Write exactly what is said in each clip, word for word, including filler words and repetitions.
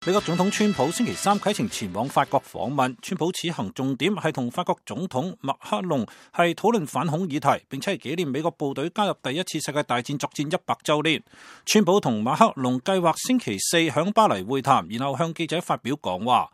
美國總統川普星期三啟程前往法國訪問，川普此行重點係同法國總統馬克龍係討論反恐議題，並且係紀念美國部隊加入第一次世界大戰作戰一百週年。川普同馬克龍計劃星期四響巴黎會談，然後向記者發表講話。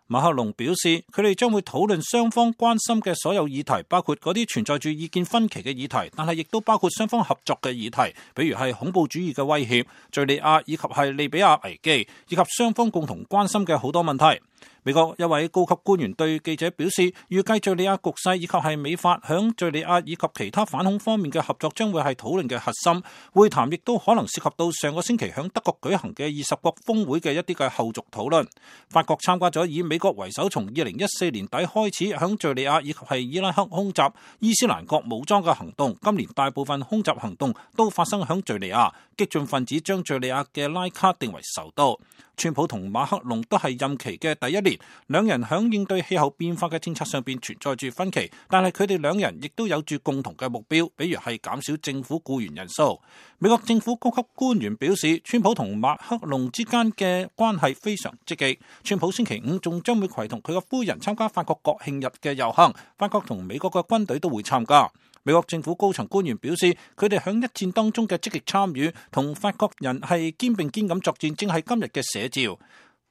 馬克龍表示，佢哋將會討論雙方關心嘅所有議題，包括嗰啲存在住意見分歧嘅議題，但係亦都包括雙方合作嘅議題，比如係恐怖主義嘅威脅、敘利亞以及係利比亞危機，以及雙方共同關心嘅好多問題。美國一位高級官員對記者表示，預計敘利亞局勢以及係美法響敘利亞以及其他反恐方面嘅合作將會係討論嘅核心。會談亦都可能涉及到上個星期響德國舉行嘅二十國峰會嘅一啲嘅後續討論。法國參加咗以美國為首，從二零一四年底開始響敘利亞以及係伊拉克空襲伊斯蘭國武裝嘅行動。今年大部分空襲行動都發生響敘利亞，激進分子將敘利亞嘅拉卡定為首都。川普同馬克龍都係任期嘅第一年，兩人響應對氣候變化嘅政策上邊存在住分歧，但係佢哋兩人亦都有住共同嘅目標，比如係減少政府僱員人數。美國政府高級官員表示，川普同馬克龍之間嘅關係非常積極。川普星期五仲將會攜同佢嘅夫人參加法國國慶日嘅遊行，法國同美國嘅軍隊都會參加。美國政府高層官員表示，佢哋響一戰當中嘅積極參與，同法國人係肩並肩咁作戰，正係今日嘅寫照。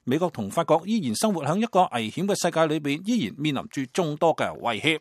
美國同法國依然生活響一個危險嘅世界裏邊，依然面臨住眾多嘅威脅。